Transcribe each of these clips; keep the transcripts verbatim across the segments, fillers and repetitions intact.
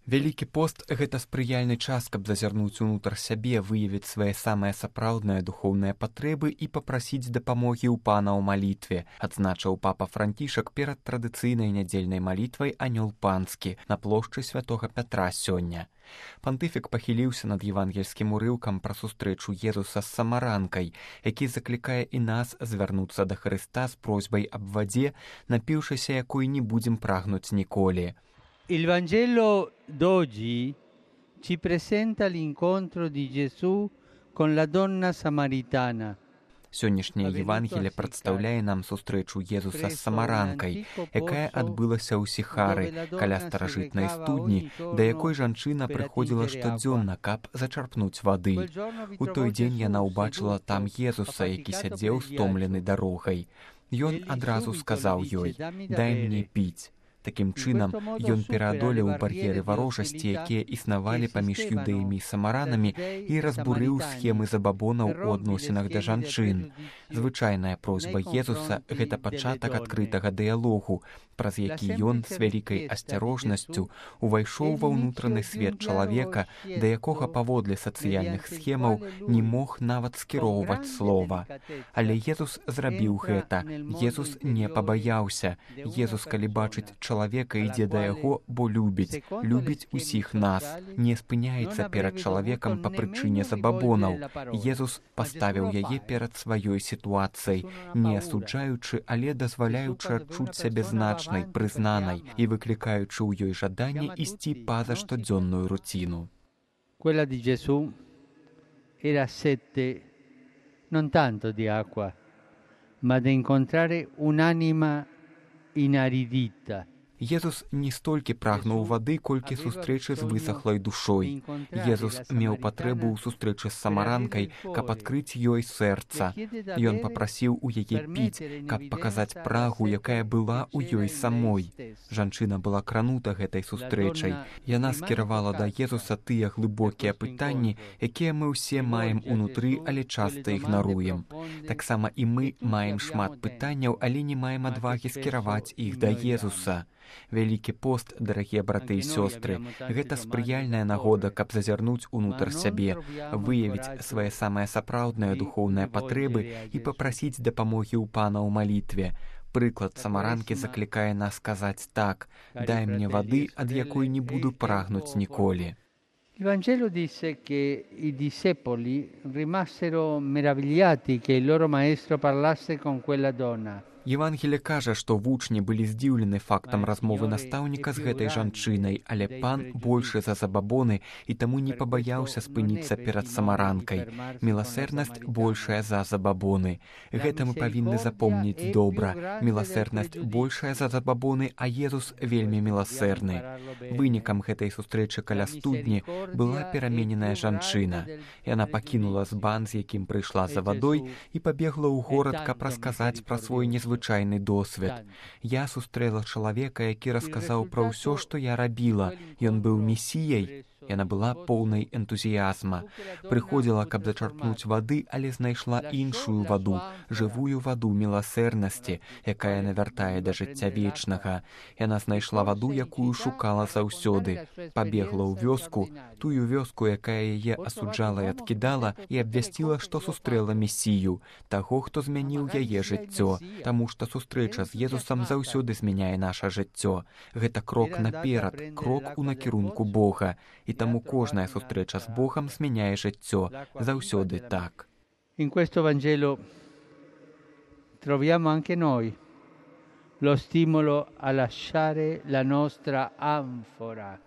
Вялікі пост – гэта спрыяльны час, каб зазірнуць унутр сябе, выявіць свае самыя сапраўдныя духоўныя патрэбы і папрасіць дапамогі ў Пана ў малітве, адзначыў папа Францішак перад традыцыйнай нядзельнай малітвай «Анёл панскі» на плошчы святога Пятра сёння. Пантыфік пахіліўся над евангельскім урыўкам пра сустрэчу Езуса з самаранкай, які заклікае і нас звярнуцца да Хрыста з просьбай аб вадзе, напіўшыся якой не будзем прагнуць ніколі. Il Vangelo d'oggi ci presenta l'incontro di Gesù con la donna samaritana. Сённяшняе Евангелие прадстаўляе нам сустрэчу Езуса з самаранкай, якая адбылася ў Сіхары, каля старажытнай студні, да якой жанчына прыходзіла штодзённа, каб зачарпнуць вады. У той дзень яна ўбачыла там Езуса, які сядзеў стомлены дарогай. Ён адразу сказаў ёй: «Дай мне піць». Такім чынам, ён пераадолеў бар'еры варожасці, якія існавалі паміж юдэямі і самаранамі, і разбурыў схемы забабонаў у адносінах да жанчын. Звычайная просьба Езуса – гэта пачатак адкрытага дыялогу, праз які ён з вялікай асцярожнасцю увайшоў ва ўнутраны свет чалавека, да якога паводле сацыяльных схемаў не мог нават скіроўваць слова. Але Езус зрабіў гэта. Езус не пабаяўся. Езус, калі бачыць чалавека, ідзе да яго, бо любіць, любіць усіх нас, не спыняецца перад чалавекам па прычыне забабонаў. Езус паставіў яе перад сваёй сітуацыяй, не асуджаючы, але дазваляючы адчуць сябе значнай, прызнанай і выклікаючы ў ёй жаданне ісці па-за штодзённую руціну. Quella di Gesù era sete non tanto di acqua, ma di incontrare un'anima inaridita. Езус не столькі прагнуў вады, колькі сустрэчы з высахлай душой. Езус меў патрэбу ў сустрэчы з самаранкай, каб адкрыць ёй сэрца. Ён папрасіў у яе піць, каб паказаць прагу, якая была ў ёй самой. Жанчына была кранута гэтай сустрэчай. Яна скіравала да Езуса тыя глыбокія пытанні, якія мы ўсе маем унутры, але часта ігнаруем. Таксама і мы маем шмат пытанняў, але не маем адвагі скіраваць іх да Езуса. Вялікі пост, дарагія браты і сёстры, гэта спрыяльная нагода, каб зазірнуць унутр сябе, выявіць свае самыя сапраўдныя духоўныя патрэбы і папрасіць дапамогі ў Пана ў малітве. Прыклад самаранкі заклікае нас сказаць так: «Дай мне вады, ад якой не буду прагнуць ніколі». Il Vangelo disse che i discepoli rimasero meravigliati che il loro maestro parlasse con quella donna. Евангелие кажа, што вучні былі здзіўлены фактам размовы настаўніка з гэтай жанчынай, але Пан большы за забабоны і таму не пабаяўся спыніцца перад самаранкай. Міласэрнасць большая за забабоны. Гэта мы павінны запомніць добра. Міласэрнасць большая за забабоны, а Езус вельмі міласэрны. Вынікам гэтай сустрэчы каля студні была перамененая жанчына. Яна пакінула збан, з якім прыйшла за вадой, і пабегла ў горад, каб расказаць пра свой незвычайны звычайны досвед. Я сустрэла чалавека, які расказаў пра ўсё, што я рабіла. Ён быў месіяй. Яна была поўнай энтузіязма. Прыходзіла, каб зачарпнуць вады, але знайшла іншую ваду, жывую ваду міласэрнасці, якая навяртае да жыцця вечнага. Яна знайшла ваду, якую шукала заўсёды. Пабегла ў вёску, тую вёску, якая яе асуджала і адкідала, і абвясціла, што сустрэла месію, таго, хто змяніў яе жыццё. Таму што сустрэча з Езусам заўсёды змяняе наша жыццё. Гэта крок наперад, крок у накірунку Бога. І таму кожная сустрэча з Богам змяняе жыццё. Заўсёды так. In questo Vangelo troviamo anche noi lo stimolo a lasciare la nostra anfora.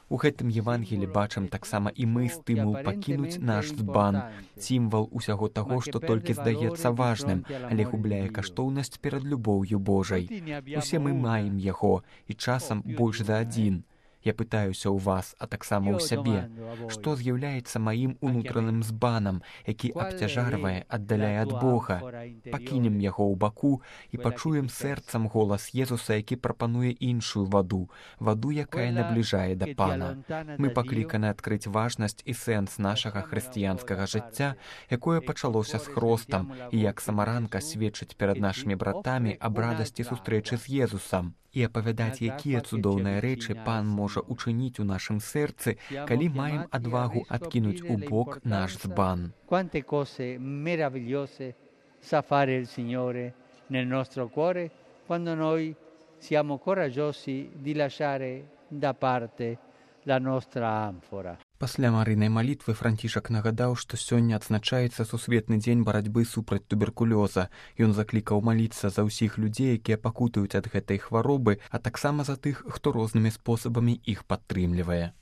У гэтым Евангелі бачым таксама і мы стымул пакінуць наш збан, сімвал усяго таго, што толькі здаецца важным, але губляе каштоўнасць перад любоўю Божай. Усе мы маем яго, і часам больш за адзін. Я пытаюся ў вас, а таксама ў сябе, што з'яўляецца маім унутраным збанам, які абцяжарвае, аддаляе ад Бога. Пакінем яго ў баку і пачуем сэрцам голас Езуса, які прапануе іншую ваду, ваду, якая набліжае да Пана. Мы пакліканы адкрыць важнасць і сэнс нашага хрысціянскага жыцця, якое пачалося з хростам, і як самаранка сведчыць перад нашымі братамі аб радасці сустрэчы з Езусам. і апавядаць, якія цудоўныя рэчы Пан можа учыніць у нашым сэрцы, калі маем адвагу адкінуць у бок наш збан. Quante cose meravigliose sa fare il Signore nel nostro cuore quando noi siamo coraggiosi di lasciare da parte la nostra anfora. Пасля марыйнай малітвы Францішак нагадаў, што сёння адзначаецца сусветны дзень барацьбы супраць туберкулёза. Ён заклікаў маліцца за ўсіх людзей, якія пакутуюць ад гэтай хваробы, а таксама за тых, хто рознымі спосабамі іх падтрымлівае.